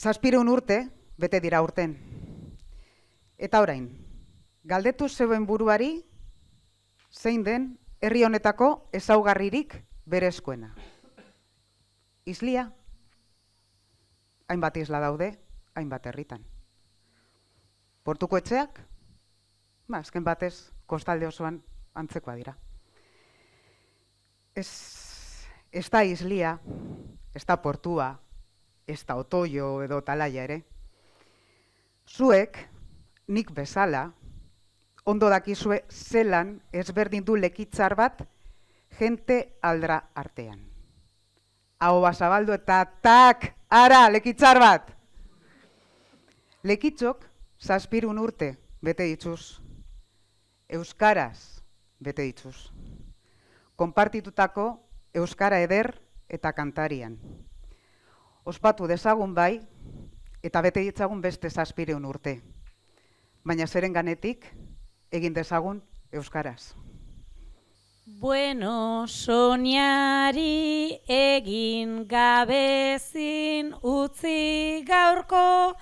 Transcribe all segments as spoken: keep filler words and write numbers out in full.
Zazpireun urte, bete dira urten. Eta orain, galdetu zeuen buruari, zein den herri honetako ezaugarririk berezkoena. Islia, hainbat isla daude, hainbat herritan. Portuko etxeak, ba, azken batez, kostalde osoan antzekoa dira. Ez, ez da islia, ez da portua, ez da otoio edo talaia ere. Zuek, nik bezala, ondo dakizue zelan ezberdin du lekitzar bat jente aldra artean. Ahoa zabaldu eta tak, ara, lekitzar bat! Lekitzok zazpirun urte bete dituz, euskaraz bete dituz. Konpartitutako euskara eder eta kantarian. Ospatu dezagun bai, eta bete ditzagun beste zazpireun urte. Baina zeren ganetik, egin dezagun euskaraz. Bueno, soñari egin gabezin utzi gaurko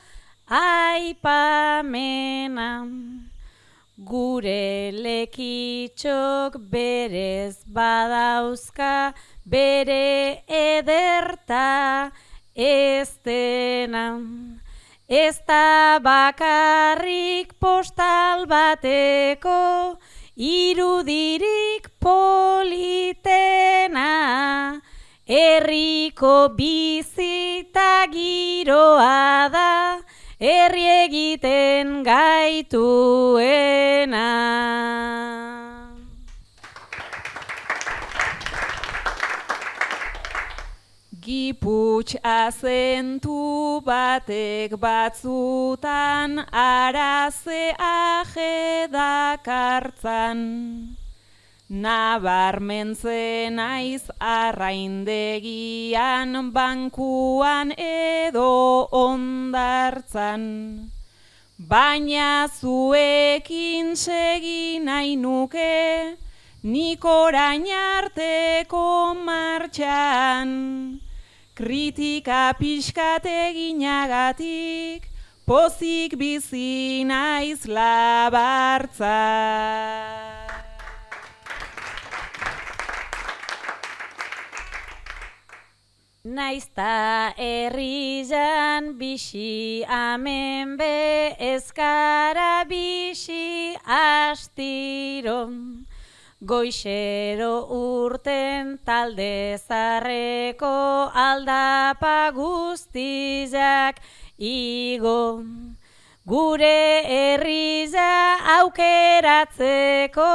aipamena. Gure lekitxok berez badauzka bere ederta ez dena. Ez da bakarrik postal bateko irudirik politena. Herriko bizita giroa da, herri egiten gaituena. Giputx azentu batek batzutan araze ajedakartzan. Nabarmentzen aiz arraindegian, bankuan edo ondartzan. Baina zuekin segi nahi nuke, nik orain arteko martxan. Kritika pixkat eginagatik, pozik bizi naiz labartza. Naizta herrian bixi amen be, ezkara bixi astiro. Goixero urten talde zarreko aldapa guztizak igo. Gure herria aukeratzeko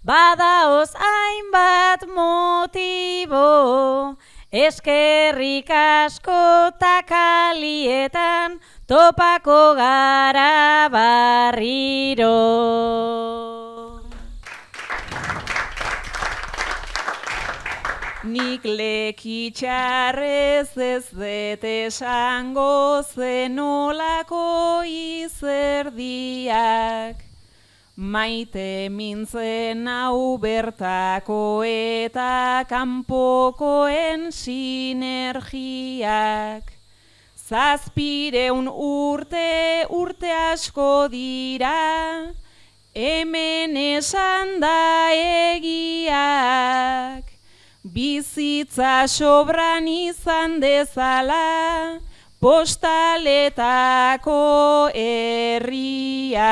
badaoz hainbat motibo. Eskerrik asko takalietan topako gara barriro. Nik lekitxarrez ez dut esango zenolako izerdiak. Maite mintzen hau bertako eta kanpokoen sinergiak. Zazpireun urte, urte asko dira, hemen esan da egiak. Bizitza sobran izan dezala, postaletako herria.